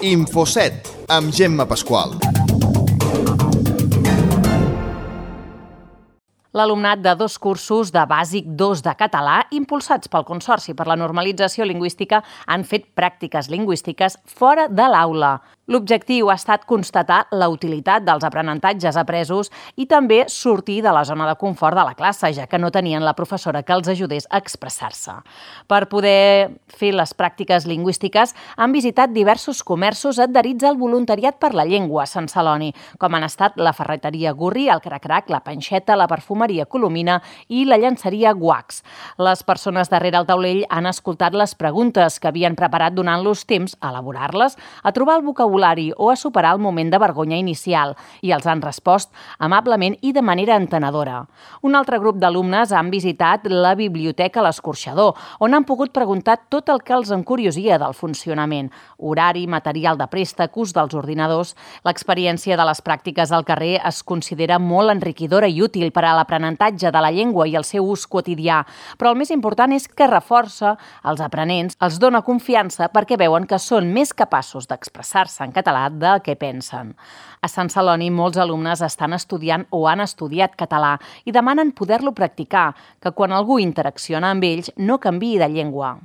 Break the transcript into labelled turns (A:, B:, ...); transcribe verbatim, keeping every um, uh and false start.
A: Infoset, amb Gemma Pasqual.
B: L'alumnat de dos cursos de Bàsic dos de català, impulsats pel Consorci per la Normalització Lingüística, han fet pràctiques lingüístiques fora de l'aula. L'objectiu ha estat constatar la utilitat dels aprenentatges apresos i també sortir de la zona de confort de la classe, ja que no tenien la professora que els ajudés a expressar-se. Per poder fer les pràctiques lingüístiques han visitat diversos comerços adherits al voluntariat per la llengua a Sant Celoni, com han estat la ferreteria Gurri, el Cracrac, la Panxeta, la perfumeria Colomina i la llançeria Guax. Les persones darrere el taulell han escoltat les preguntes que havien preparat donant-los temps a elaborar-les, a trobar el vocabulari o a superar el moment de vergonya inicial, i els han respost amablement i de manera entenedora. Un altre grup d'alumnes han visitat la biblioteca L'Escorxador, on han pogut preguntar tot el que els encuriosia del funcionament: horari, material de préstec, ús dels ordinadors. L'experiència de les pràctiques al carrer es considera molt enriquidora i útil per a l'aprenentatge de la llengua i el seu ús quotidià, però el més important és que reforça els aprenents, els dona confiança perquè veuen que són més capaços d'expressar-se en català del que pensen. A Sant Celoni molts alumnes estan estudiant o han estudiat català i demanen poder-lo practicar, que quan algú interacciona amb ells no canviï de llengua.